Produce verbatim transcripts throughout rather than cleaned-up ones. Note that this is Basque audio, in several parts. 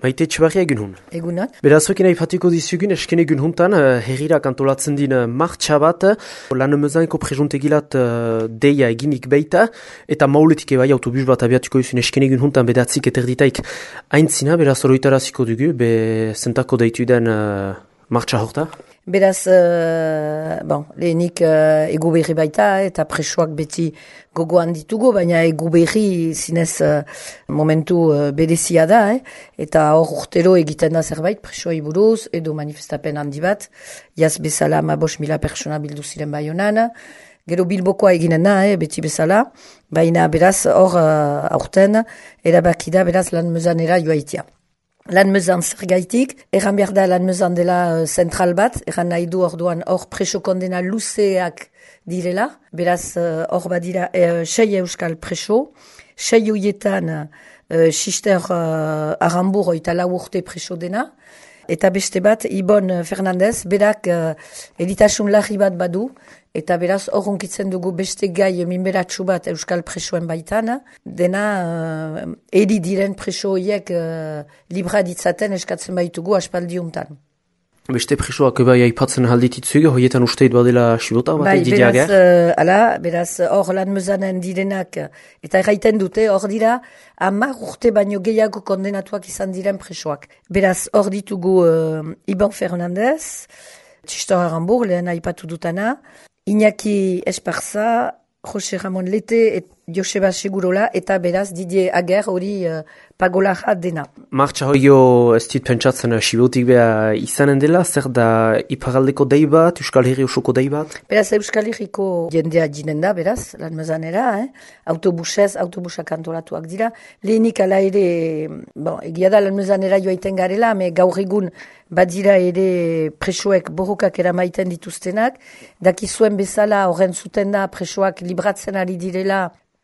Maite Etxebarria egun hun. Egunon. Beraz, hokin aipatiko dizugun, esken egun huntan, uh, herrirak antolatzen din uh, martxa bat, lan emezainko prejuntegilat uh, deia eginik beita, eta mauletik ebai autobus bat abiatuko izun esken egun huntan bedatzik eterditaik aintzina, beraz oroitaraziko dugu, be zentako deitu den uh, martxa horta. Beraz, uh, bon, lehenik uh, egu berri baita eta presoak beti gogoan ditugu, baina egu berri zinez uh, momentu uh, berezia da, eh? Eta hor urtero egiten da zerbait presoai buruz, edo manifestapen handi bat, jaz bezala amabos mila persona bildu ziren Baionan, gero Bilbokoa eginen da, eh, beti bezala, baina beraz hor uh, aurten erabaki da beraz lan mezanera joaitia. Lan mezan zergaitik, erran behar da lan mezan dela uh, zentral bat, erran nahi du orduan hor preso kondena luzeak direla, beraz hor uh, badira uh, sei euskal preso, sei hoietan uh, Sister uh, Arambur oita lau urte preso dena, eta beste bat Ibon Fernandez, berak uh, editasun larri bat badu, eta beraz hor unkitzen dugu beste gai minberatsu bat euskal presoen baitan, dena uh, eri diren preso horiek uh, libra ditzaten eskatzen baitugu aspaldi untan. Beste presoak bai aipatzen haldititzuge, hoietan usteit badela xibota bat bai, didiager? Beraz, uh, ala, beraz hor lan mezanen direnak, eta erraiten dute, hor dira, hamar urte baino gehiago kondenatuak izan diren presoak. Beraz, hor ditugu uh, Ibon Fernandez, Sister Arambur, lehen aipatu dutana, Iñaki Esparza, Jose Ramon Lete, et Joseba Segurola, eta beraz Didier Ager hori uh, pagolaja dena. Martxa hoio ez dit pentsatzen uh, sibotik beha izanen dela, zer da iparaldeko dei bat, Euskal Herri osoko dei bat? Beraz Euskal Herriko jendea jinen da, beraz, lan mezanera, eh? Autobusez, autobusak antolatuak dira. Lehenik ala ere, bon, egia da lan mezanera joaiten garela, me gaur egun badira ere presoek borrokak eramaiten dituztenak, dakizuen bezala horren zuten da presoak libratzen ari direla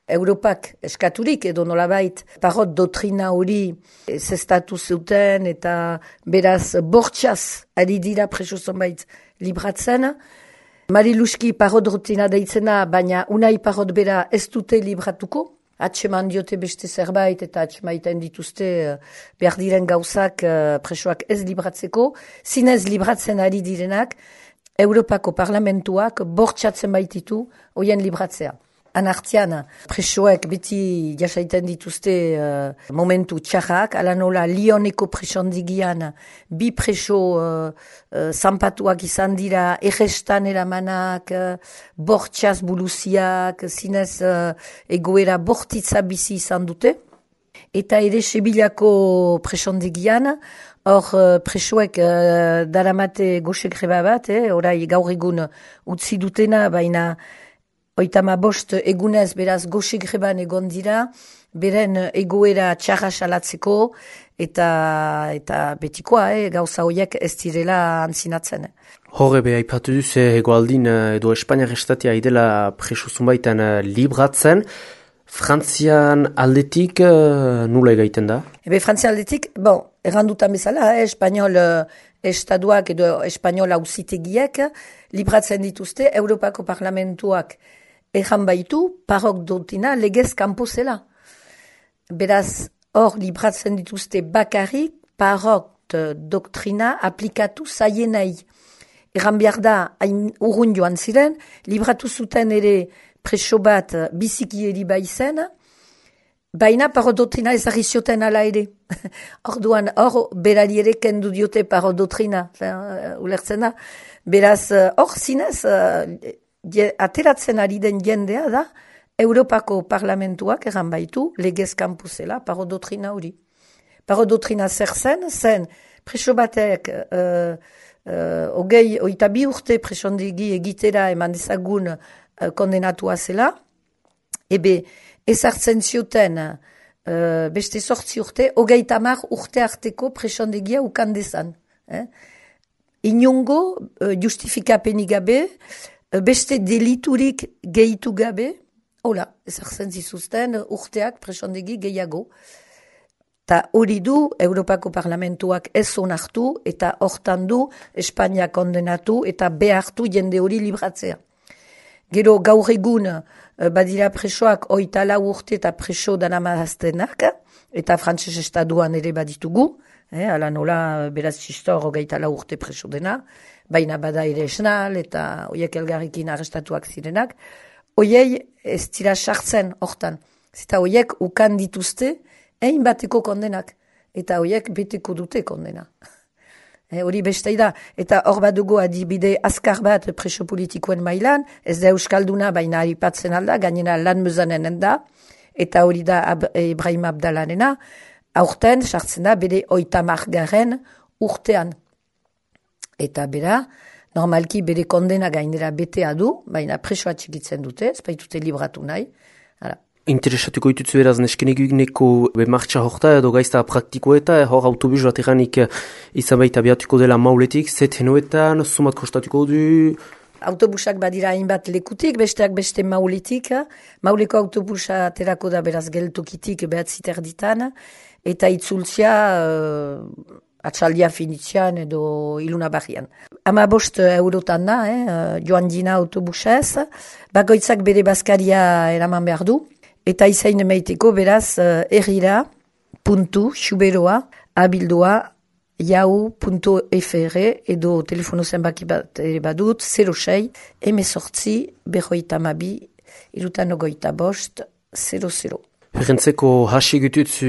Europak eskaturik edo nolabait parot dotrina hori zestatu zuten eta beraz bortxaz ari dira preso zonbait libratzen. Mariluski parot dotrina deitzena, baina unai parot bera ez dute libratuko. Atseman diote beste zerbait eta atsemaiten dituzte behar diren gauzak presoak ez libratzeko. Zinez libratzen ari direnak, Europako parlamentuak bortxatzen baititu hoien libratzea. Anartian, presoek beti jasaiten dituzte uh, momentu txarrak, ala nola Lioneko presondigian bi preso uh, uh, zanpatuak izan dira, errestan eramanak, uh, bortxaz buluziak, zinez uh, egoera bortitza bizi izan dute. Eta ere Sebilako presondigian, hor uh, presoek uh, daramate goxe greba bat, eh, orai gaur egun utzi dutena, baina Oitama bost egunez beraz goxe greban egon dira, beren egoera txarra salatzeko eta, eta betikoa, eh, gauza horiek ez direla antzinatzen. Horre be aipatu duz egoaldin edo Espainiar estatia idela preso zunbaitan libratzen, Frantzian aldetik uh, nula egaiten da? Ebe Frantzian aldetik, bon, errandutan bezala, eh, Espainiol estaduak edo Espainiol auzitegiek libratzen dituzte Europako parlamentuak Ejan baitu, parok dotina legez kanpo zela. Beraz, hor libratzen dituzte bakarrik parok doktrina aplikatu zaienai. Egan behar da, hain urrun joan ziren, libratu zuten ere preso bat biziki eri baizen, baina parok doktrina ezagri zioten ala ere. Orduan, hor berari ere kendu diote parok doktrina, ulertzen da. Beraz, hor zinez, ateratzen ari den jendea da, Europako parlamentuak egan baitu, legez kanpo zela, paro dotrina hori. Paro dotrina zer zen, zen preso batek uh, uh, ogei, oita bi urte presondegi egitera eman dezagun uh, kondenatua zela, ebe ezartzen zioten uh, beste sortzi urte, ogei tamar urte arteko presondegia ukan dezan. Eh? Inongo uh, justifikapenik gabe, beste deliturik gehitu gabe, hola, ezartzen zizuzten urteak presondegi gehiago. Ta hori du, Europako parlamentuak ez onartu eta hortan du Espainia kondenatu eta behartu jende hori libratzea. Gero gaur egun badira presoak oita lau urte eta preso danamaztenak, eta frantses estaduan ere baditugu, eh, ala nola beraz txistor hogeita lau urte preso dena, baina bada ere esnal eta oiek elgarrikin arrestatuak zirenak, oiei ez dira sartzen hortan. Zeta oiek ukan dituzte, egin bateko kondenak, eta oiek beteko dute kondena. Hori e, beste da, eta hor bat dugu adibide azkar bat preso politikoen mailan, ez da euskalduna baina aipatzen alda, gainera lan mezanenen da, eta hori da Ab Ibrahim Abdalanena, aurten sartzen da bere oitamar garen urtean. Eta bera, normalki bere kondena gainera betea du, baina presoa txikitzen dute, ez baitute libratu nahi. Hala. Interesatuko ditutzu beraz neskeneguneko martxa horta edo gaizta praktiko eta hor autobus bat eranik izan baita biatuko dela mauletik, zet henoetan, sumat kostatuko du? Autobusak badira hainbat lekutik, besteak beste mauletik. Mauleko autobusa aterako da beraz geltokitik behatziter ditan, eta itzultzia uh, atxaldia finitzean edo iluna barrian. Ama bost eurotan da, eh, joan dina autobusez, bakoitzak bere bazkaria eraman behar du, eta izain emeiteko beraz uh, errira, puntu, xuberoa, abildua, jau puntu fr edo telefono zenbaki bat ere badut, zero sei, emezortzi, berroita mabi, irutan ogoita bost, zero zero. Herrentzeko hasi gututzu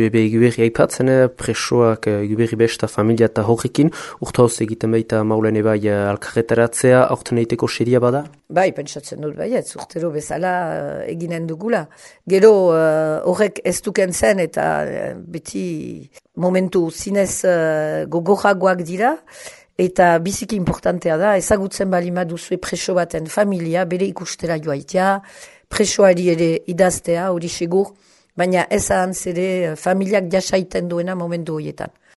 ebe eguberri aipatzen, presoak eguberri besta familia eta horrekin, urta hoz egiten baita maulen ebai alkarretaratzea, aurten eiteko seria bada? Bai, pentsatzen dut bai, ez urtero bezala uh, eginen dugula. Gero horrek uh, ez duken zen eta uh, beti momentu zinez uh, gogoragoak dira, eta biziki importantea da, ezagutzen balima duzue preso baten familia, bere ikustera joaitea, presoari ere idaztea, hori segur, baina ez ahantz ere familiak jasaiten duena momentu horietan.